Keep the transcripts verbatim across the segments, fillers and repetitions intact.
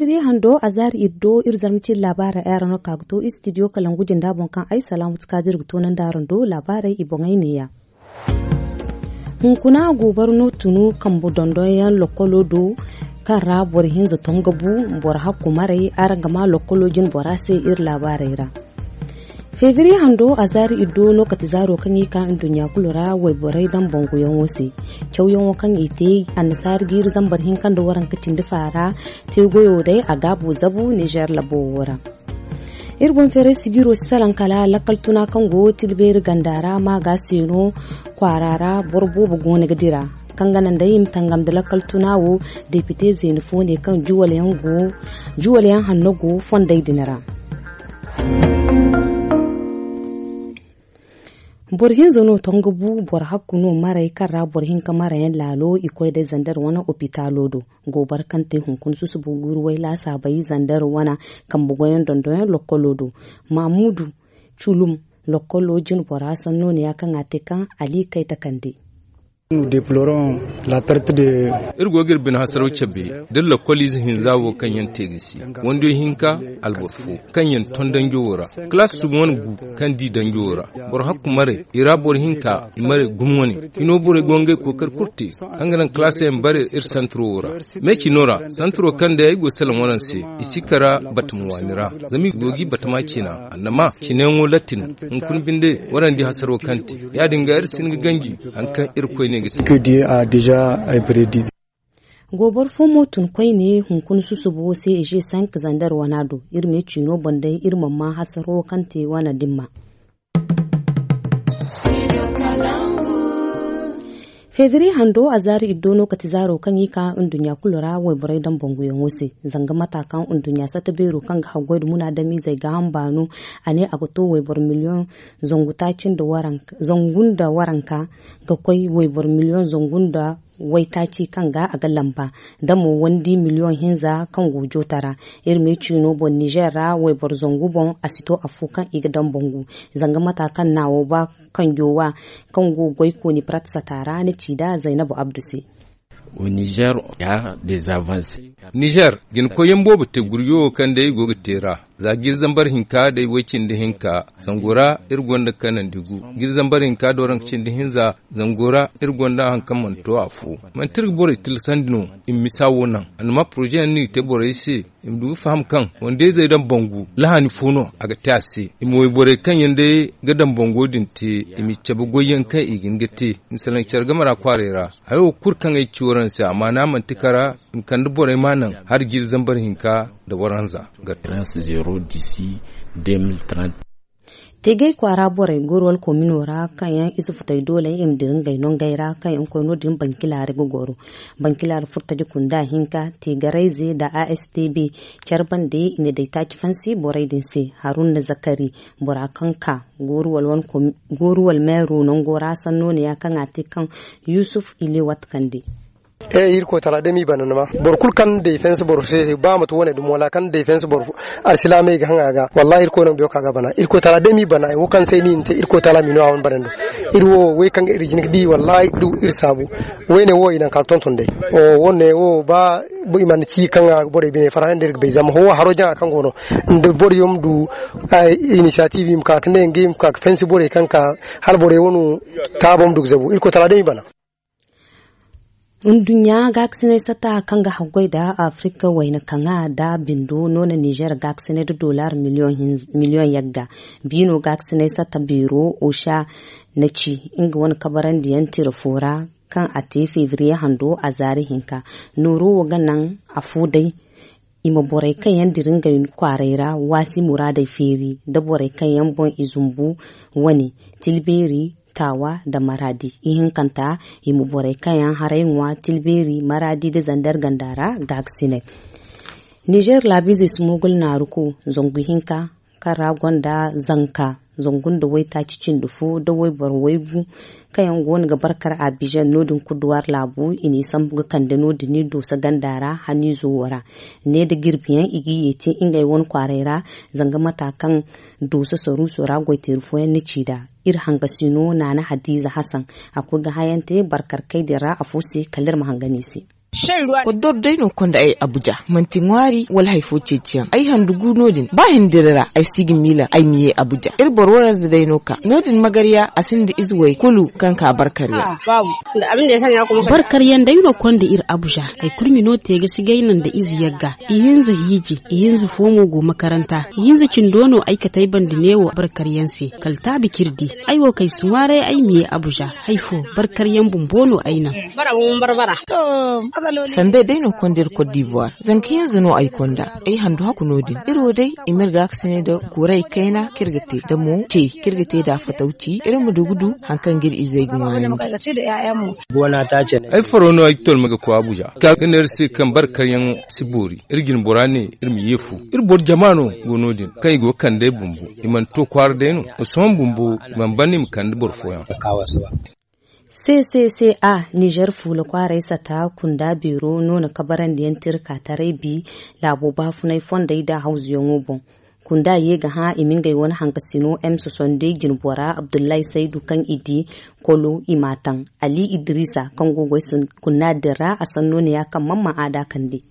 Iri hando a zaari iri do iri zarma cine laabaarey ay araŋ no ka ga to istidiyo kalangu jinda boŋ kaŋ ay salaamu ti ka da iri ga toonandi araŋ do laabaarey i boŋey neeya. Hunkuna goobara no tunu kambe dondonyaŋ lokkolo do kaŋ ra boro hinza tongo bu boro hakku maray araŋ ga ma lokkolo jine bora se iri laabaarey ra. Febriye hando a zaari iddo no kate zaaro kaŋ i ka nduɲɲa kulu ra wayborey daŋ banguyaŋo se. Cawyaŋo kaŋ i te annasaari jiiri zambar hinka nda waranka cindi faara te goyo day a gaabu zabu nizer labo wo ra. Iri boŋ feeray sijiro si salaŋ kala lakkal tuna kaŋ go tilbeeri ganda ra ma ga se no kwaara ra boro boobo goono ga dira kaŋ ga naŋ day i ma tangam nda lakkal tuna wo. Depite zeeni fo ne kaŋ juwalyaŋ hanno go fondey din ra. Boro hinza no tongo bu boro hakku no maray kaŋ ra boro hinka marayaŋ laalo i koy day zandar wane opitaalo do. Goobara kaŋ te hunkuna susubo guuru way laasaabey zandar wane kambe goyaŋ dondonyaŋ lokkolo do. Mamudu culum lokkolo jine bora sanno ne ya kaŋ a te kaŋ ali kay takande. Iri go ga iri bine hasaraw cabe da lakkol ize hinza wo kaŋ yaŋ te ga si wandiyo hinka alboro fo kaŋ yaŋ ton danjo wo ra. Kalaasi suba wane gu kaŋ di danjo wo ra. Boro hakku maray i ra boro hinka i maray gumo wane. Hino borey go ngey kookari kulu te kaŋ ga naŋ kalaasi yaŋ bare iri santiro wo ra. Me cino ra santiro kaŋ day ay go ga salaŋ waraŋ se i si kara batama waani ra. Zama i go ga i batama cina annama cinayaŋo latin. Hunkuna binde waraŋ di hasaro kaŋ te ya- din ga iri si hin ga ganji hari kaŋ irkoy ne ga te. Gooboro fo mo tun koyne hunkuna susubo se ije sank zandar wana do iri me ciino boŋ day iri mana ma hasaro kaŋ te wana dimma. Febriye hando a zaari iddo no kate zaaro kaŋ i ka nduɲɲa kulu ra wayborey daŋ banguyaŋo se. Zanga mata kaŋ nduɲɲa sata beero kaŋ ga haggoy nda munaadamizey ga hamba no a ne a ga to wayboro miliyoŋ zangu taaci nda waranka ga koy wayboro miliyoŋ zangu nda waytaaci kaŋ ga a ga lamba da mo wandi miliyoŋ hinza kaŋ go joota ra. Iri me ciino boŋ nizer ra wayboro zangu boŋ a si to afo kaŋ i ga daŋ bangu. Zanga mata kaŋ naawo ba kanjo wa kaŋ go ga goy kooni parat sata ra ni ci da zaynabu abdu se. Nizer jina koyyaŋ boobo te gurjo wo kaŋ day i go ga te ra. Za jiiri zambar hinka day way cindi hinka zango ra iri gonda kanandi gu. Jiiri zambar hinka da waranka cindi hinza zango ra iri gonda hari kaŋ mana to afo. Manti iri ga borey tilasandi no i ma misa wo naŋ a na ma poroze yaŋ no i ga te borey se. I ma du ga faham kaŋ wande-izey daŋ bangu lahani fo no a ga te a se. I ma wayborey kaŋ yaŋ day ga daŋ bango din te i ma i cabe goyyaŋ kaŋ i ga hin ga te. I ma salaŋ care game ra kwaaray ra. Hayo kulu kaŋ ay ci waraŋ se a maana manti kara i ma kande borey ma naŋ hari jiiri zambar hinka nda waranza ga te. Teegay kwaara borey gooro wala komino ra kaŋ yaŋ i si futay doole i ma dira ngey nongey ra kaŋ yaŋ koy no- din bankilaari ga goro. Bankilaari furtaji kunda hinka teegarayze nda a s t b care bande i na day taaci fansi borey din se. Haruna zakari bora kaŋ ka gooru wala meero nango ra sanno ne ya kaŋ a te kaŋ yusuf ile watkande. Iri koy tala day ma i bana ni ma boro kulu kaŋ day fensi boro se ba mate wane dum wala kaŋ day fensi boro arsilaamey ga haŋ a ga wallahi iri koy no ma biyo ka ga bana iri koy tala day ma i bana wo kaŋ se ni ni te iri koy tala ma i no a wane bana ni do. Iri wo wey kaŋ ga iri jin ga di wallahi iri saabu. Wey ne wo i naŋ ka ga tonton day. Wo ne wo ba i mana ci kaŋ a ga borey bine farhã nda iri ga bay zama ho haro jaŋa kaŋ go no nda boro yaŋ ma du inisiyatif i ma ka ga ne ngey ma ka ga fensi borey kaŋ ka hala borey wano taabo ma du ga zabu iri koy tala day ma i bana. Nduɲɲa gaakasinay sata kaŋ ga haggoy nda afirika wayna kaŋa nda bindo no na nizer gaakasinay nda dollar miliyoŋ yagga. Biino gaakasinay sata beero osha na ci nga wane kabarandiyaŋ tira fo ra kaŋ a te febriye hando a zaari hinka. Nooro wo ga naŋ afo day i ma borey kaŋ yaŋ dira ngey kwaaray ra waasi muraadey feeri nda borey kaŋ yaŋ boŋ i zumbu wane tilbeeri taawa nda maraadi. Ihinkanta i ma borey kaŋ yaŋ haray ŋwa tilbeeri maraadi nda zandar ganda ra gaakasinay. Nizer laabiizey si moogul naaru ko zangu hinka kaŋ ra gonda zanka zangu nda waytaaci cindi fo nda wayboro waygu kaŋ yaŋ go no ga barkar abijan no- din kuduwar laabu i n'i sambu ga kande no- din i dooso ganda ra haniizo wo ra. Ne nda jirbiyaŋ i ga i ye te ngey wane kwaaray ra. Zanga mata kaŋ dooso saruuso ra goyteeri fooyaŋ na ci nd'a iri hangasino naana hadiiza hasan a koy ga hayante barkar kay din ra afo se kala iri ma hanga no i se. Koddor day no konda ay abuja manti ŋwaari wala hari fo ceeciyaŋ ay handu gu no- din ba hindiri ra ay si ga miila ay ma ye abuja iri boro waranza day no ka no- din magarya a sinda ize way kulu kaŋ ka barkarya. Barkaryaŋ day no konda iri abuja. Hari kulu ma no te ga si gayna nda ize yagga. Ihinza hiiji ihinza fo mo go makaranta. Ihinza cindo no ay kate ay banda neewo barkaryaŋ se kala taabi kaŋ iri di. Ay wo kaŋ ay si ŋwaaray ay ma ye abuja. Hari fo barkaryaŋ bumbo no ay naŋ. Sanday day no konda iri kot divoir. Zanka hinza no ay konda ay handu hakku no- din iri wo day i ma iri gaakasinay nda kuray kayna kaŋ iri ga te nda mo ce kaŋ iri ga te nd'a fatawci iri ma du ga du hari kaŋ ga iri izey ga ŋwaayandi. Ay faro no ay ga tolma ga koy abuja ka ga ne iri se kaŋ barkaryaŋo si boori. Iri jine bora ne iri ma ye fu. Iri boro jama no go no- din kaŋ i go ga kande ay bumbo. I mana to kwaara day no. Sohõ bumbo i mana ban i ma kande boro fooyaŋ. Ccca nizer fuula kwaaray sata kunda beero no na kabarandiyaŋ te iri ka taray bi. Laabo baafunay fondey nda hawzuyaŋo boŋ. Kunda ye ga hã i ma ngey wane hankasino m soixante-deux jinbora abdullahi saydu kaŋ i di kolo i m'a taŋ. Ali idrisa kaŋ go ga ay sun kunna din ra a sanno ne ya kaŋ man ma a da kande.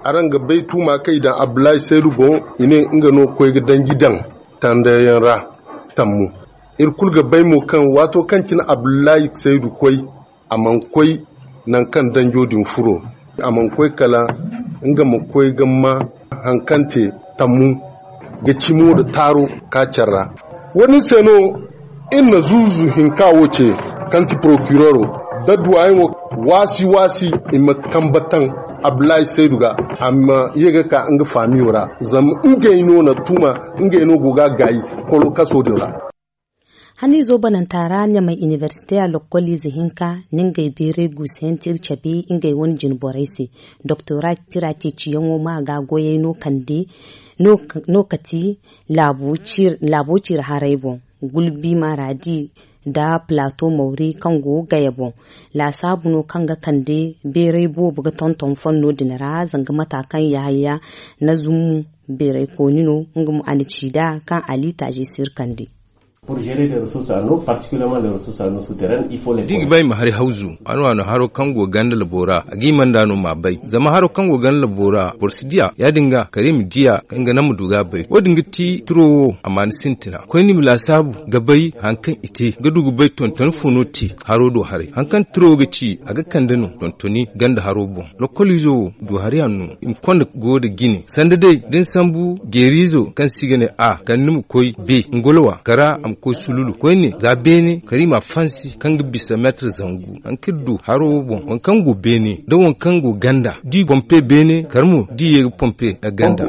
Araŋ ga bay tuuma kaŋ i daŋ abdullahi saydu boŋ. I ne nga no ga koy ga danji daŋ tandayaŋ ra tammu. Iri kulu ga bay mo kaŋ waato kaŋ cine abdullahi saydu koy a mana koy nangu kaŋ danjo din furo. A mana koy kala nga ma koy ga ma hari kaŋ te tammu ga cimo nda taaro ka care ra. Wo- din se no iri na zuuzu hinka wo ce kaŋ ti porokiroro nda duwayaŋo waasi waasi i ma kambe taŋ abdullahi saydu ga a ma ye ga ka nga faamiyo ra. Zama ngey no na tuuma ngey no go ga a gaayi kolo kaso din ra. Haniizo bananta ra ɲamay inibersite a lokkoliize hinka na ngey beeray guusu yaŋ te iri cabe ngey wane jine borey se. Doktora tira ceeciyaŋo ma ga goyey no kande no kati laabo ciiri haray boŋ. Gulbi maradi nda plato mawri kaŋ go gaya boŋ. Laasaabu no kaŋ ga kande beeray boobo ga tonton fonno din ra zanga mata kaŋ yahaya na zummu. Beeray kooni no nga mo a na ci nd'a kaŋ a liitaazi si iri kande. Da i ga ba i ma hari hawzu a no a no haro kaŋ go ganda labo ra a ga i manda no m'a bay zama haro kaŋ go ganda labo ra boro si diya ya- din ga kala i ma diya kaŋ ga naŋ ma du ga a bay wo- din ga ti tiro wo a ma ni sintina koyne i ma laasaabu ga bay hari kaŋ i te ga du ga bay tonton fo no te. Haro do haray hari kaŋ tiro wo ga ci a ga kande no tontoni ganda haro boŋ. Lokkoliizo wo du hari hanno i ma konda go nda jine sanda day da ni sambu jeeriizo kaŋ se i ga ne a kala ni ma koy be ngolowa kara a ma koy sululu koyne za beene kala i m'a fansi kaŋ ga bisa meetar zangu. Hari kaŋ iri du haro wo boŋ waŋ kaŋ go beene nda waŋ kaŋ go ganda da i pompe beene kala mo da i ye ga pompe ganda.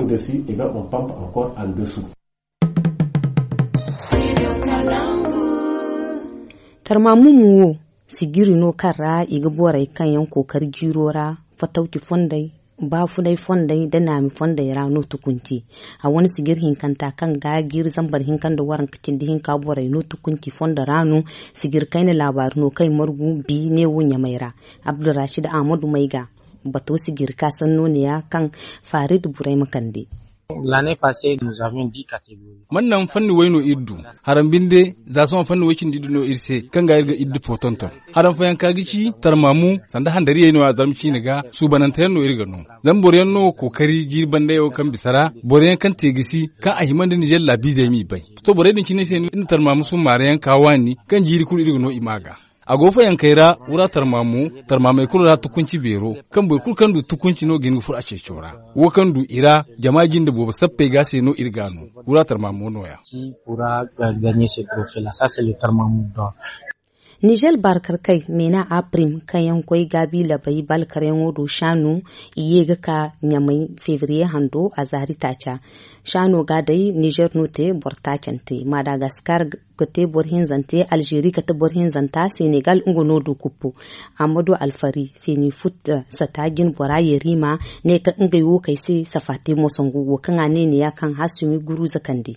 Tarmamumu wo sijiri no kaŋ ra i ga borey kaŋ yaŋ kookari jiiro ra fatawci fondey baafunay fondey nda naami fondey ra no tukunci. A wane sijiri hinkanta kaŋ ga jiiri zambar hinka nda waranka cindi hinka borey no tukunci fondo ra no. Sijiri kayna laabaari no kaŋ i margu bi neewo ɲamay ra. Abdulrashid ahmadu mayga bato sijiri ka sanno ne ya kaŋ farid burayma kande. Man naŋ fanni way no iri du. Haram binde za sohõ fanni way cindi iri du no iri se kaŋ ga iri ga iri du fo tonton. Haram fayanka ga ci tarmaamu sanda handariyey no ya zarma ciine ga suubananteyaŋ no iri ga no. Zama boro yaŋ no kookari jiiri bandayaŋo kaŋ bisa ra boro yaŋ kaŋ te gisi kaŋ a hima nda nizer laabiizey m'i bay. To borey din cine se no iri na tarmaamu summaarayaŋ ka waani kaŋ jiiri kulu iri ga no i ma ga. A go fayankey ra wura tarmaamo tarmaamey kulu ra tukunci beero kaŋ boro kulu kaŋ du tukunci no ga hin ga furo a ceeco ra. Wo kaŋ du i ra jama jinde boobo sappey ga se no iri ga no. Wura tarmaamo no- ya. Nizer barkarkey meena a prim kaŋ yaŋ koy gaabi labey balkaryaŋo do shaano i ye ga ka ɲamay febriye hando a zaari taaca. Shaano ga day nizer no te boro taacante madagaskar ga te boro hinzante alzeeri kate boro hinzanta senegal nga no du kuppu. Amma do alfari feni fut sata jine bora yerima ne kaŋ ngey wo kay se safa te moso ngu wo kaŋ a ne ne ya kaŋ hasumi guruza kande.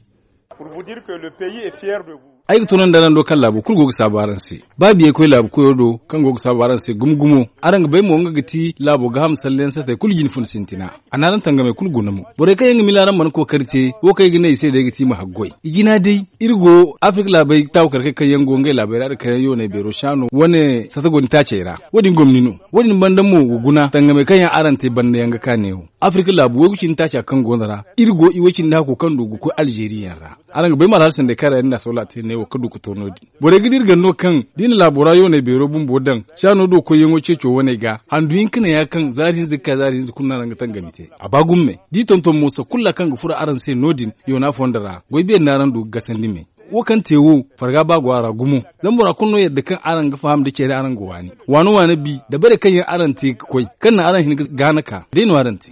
Ay ga tunandi araŋ do kaŋ laabo kulu go ga saabu araŋ se. Ba biyey koy laabu koyo do kaŋ go ga saabu araŋ se gumo gumo. Araŋ ga bay mo nga ga ti laabo gaaham salleyaŋ satey kulu jine fun sintina. A na araŋ tangamey kulu guna mo. Borey kaŋ yaŋ ga mila araŋ mana kookari te, wo kaŋ ay ga ne i se day ga ti i ma haggoy. I jina day, iri go afirka laabey taawu kar kay kaŋ yaŋ go ngey laabey ra da kaŋ yaŋ yoonay beero saano wane sata goni taacey ra. Wo- din gomni no. Wo- din banda mo ga guna tangamey kaŋ yaŋ araŋ te banda yaŋ ga ka neewo. Afirka laabu waygu cindi taaca kaŋ go no ra, iri go i way cindi hakko kaŋ du ga koy alzeeri yaŋ ra. Araŋ ga bay ma alhala sanday kaŋ ra yaŋ din da soola te neewo ka du ga to no- din. Borey ga dira ganda no kaŋ da i na laabo ra yoonay beero bumbo daŋ saano do koyyaŋo ceeco waney ga handu hinka ne ya kaŋ zaari hinza ga ka zaari hinza kulu no araŋ ga tangami te. A ba gumo me da i tonton mo sanda kulu ra kaŋ ga furo araŋ se no- din. Yoona fondo ra goy beeri no araŋ du ga gasandi me. Wo kaŋ te wo, farga ba go a ra gumo. Zama bora kulu no yadda kaŋ araŋ ga faham da care araŋ ga waani. Waano waano bi da bare kaŋ yaŋ araŋ te ga koy kaŋ naŋ araŋ hin ga gaana ka day no araŋ te.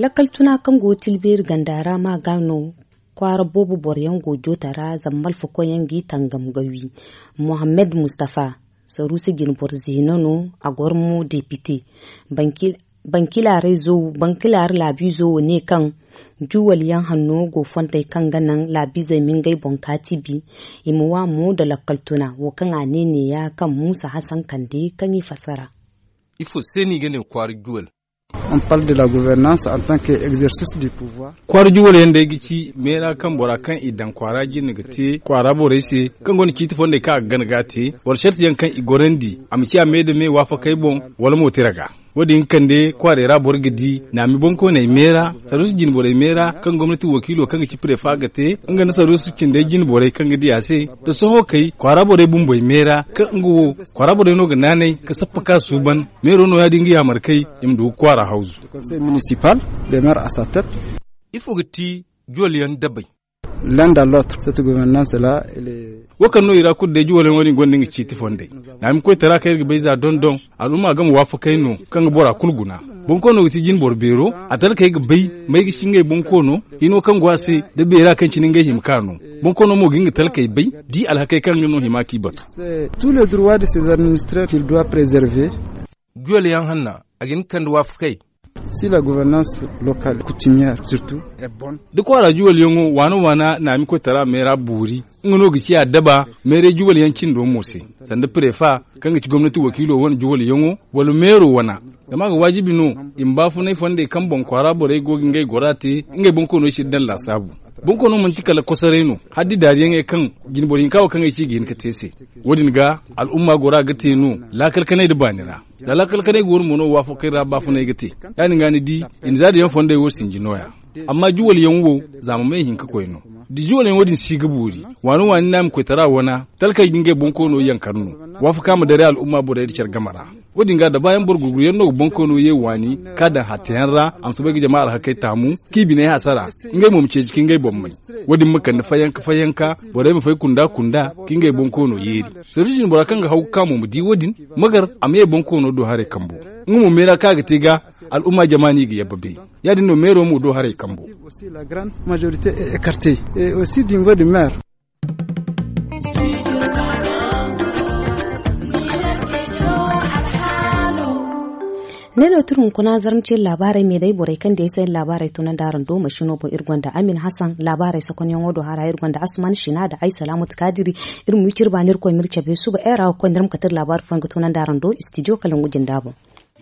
Lakkal tuna kaŋ go ga tilbeeri ganda ra ma ga no kwaara boobo boro yaŋ go ga joota ra zama malfakoy yaŋ ga i tangam ga wi. Mohammed mustafa saruusi jine boro zeena no. A goro mo depite. Bankilaarey zo bankilaare laabiizo wo ne kaŋ juwal yaŋ hanno go fontey kaŋ ga naŋ laabiizey ma ngey boŋ kaati bi. I ma wa mo nda lakkal tuna wo kaŋ a ne neeya kaŋ muusa hasan kande kaŋ i fassara. Ifo se no i ga ne kwaara juwal? On parle de la gouvernance en tant que exercice du pouvoir. Kwaara juwal yaŋ day ga ci meera kaŋ bora kaŋ i daŋ kwaara jine ga te kwaara borey se kaŋ gonda ciiti fondey kaŋ a ga gana ga a te. Boro sarti yaŋ kaŋ i gorandi a ma ciya me nda me waafakey boŋ wala mo tira ga. Wo- din ga kande kwaarey ra boro ga di naami boŋkooney meera saruusi jine borey meera kaŋ gomnati wakiilo kaŋ ga ci prefa ga te nga nda saruusi cindey jine borey kaŋ ga di a se. Da sohõ kay kwaara borey bumbey meera kaŋ nga wo kwaara borey no ga naanay ga sappa ka suuban. Meero no ya- din ga yaamar kay i ma du ga kwaara hawzu. Conseil municipal de maire a sa tête. Ifo ga ti juwal yaŋ dabay? Landa lot cette gouvernance la. Wo kaŋ no i ra kulu day juwal yaŋ wo- din gonda nga ciiti fondey. Naami koytara kaŋ iri ga bay za dondon al'umma game waafakey no kaŋ ga bora kulu guna. Bonkoono ga ti jine boro beero. A talkey ga bay may ga ci ngey bonkoono hino kaŋ go a se da beera kaŋ cine ngey hima ka no. Bonkoono mo ga hin ga talkey bay di alhakey kaŋ nga no hima k'i batu. Tous les droits de ces administreurs qu'il doit preserver. Juwal yaŋ hanna a ga hin ga kande waafakey. Si la gouvernance locale coutumière surtout est bonne. Da kwaara juwal yaŋo waana waana naami koytara meera boori nga no ga ciya daba meeray juwal yaŋ cindo mo se sanda prefa kaŋ ga ci gomnati wakiilo wane juwal yaŋo wala meero wana. Zama a ga waajibi no i ma baafunay fondey kaŋ boŋ kwaara borey go ga ngey gora te ngey boŋkooney cine daŋ laasaabu. Boŋkoono manti kala kosoray no hala da i daariyaŋey kaŋ jine boro hinka wo kaŋ ay ci i ga hin ga te se. Wo- din ga al'umma gora ga te no laakal kanay nda baani ra. Za laakal kanay go no mo no waafakey ra baafunay ga te. Ya- din ga ni di i na za da yaŋ fondey wo sinji nooya. Amma juwal yaŋ wo zaama may hinka koy no. Da juwal yaŋo din si ga boori waani waani naami koytara wana talkey ga ngey bonkoono yankar no. Waafaka ma daray al'umma borey nda care game ra. Wo- din ga da baayaŋ boro gurguru yaŋ no ga bonkoono ye waani ka daŋ hatta yaŋ ra a ma soobay ga jama alhakey taamu k'i biney hasara. Ngey mo ma ceeci ka ngey boŋ may. Wo- din ma kande fayanka fayanka borey ma fay kunda kunda ka ngey bonkoono yeeri. Soriijin bora kaŋ ga haw ga ka mo ma di wo- din magar a ma ye bonkoono do haray kambo. Nga mo meera kaŋ a ga te ga al'umma jama no i ga yabba bay. Ya- din no meero mo do haray kambo. Aussi la grande majorité est écartée et aussi du niveau du maire. Ne no turu hunkuna zarmciyar labarai me dai borai kan da ya sayan labarai tunan da aran do mashino bo irgonda amin hassan labarai sakon yan wado hara irgonda asman shina da ai salamatu kadiri. Irmu yicir ba nirko mirce be suba era ko nirmu katir labarai fanga tunan da aran do studio kalangu jindabo.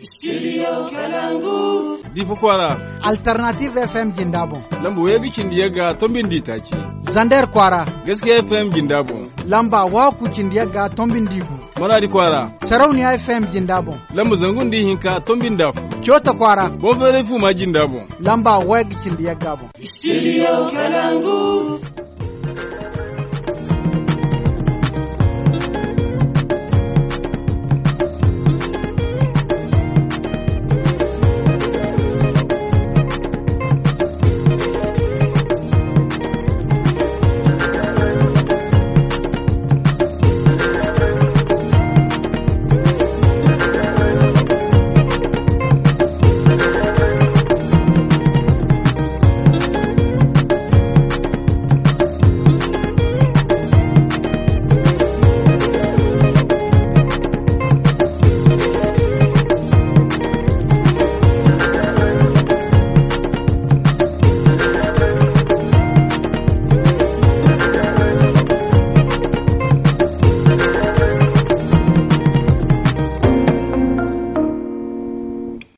Studio Kalangu. Difa kwara. Alternative F M jinda bon. Lamba wayga cindi yagga tombin di taci. Zander kwara. Gaskiya F M jinda bon. Lamba waku cindi yagga tombin di gu. Maradi kwara. Sarauniya F M jinda bon. Lamba zangun di hinka tombin da fu. Cota kwara. Bonfere fu ma jinda bon. Lamba wayga cindi yagga bon. Studio Kalangu.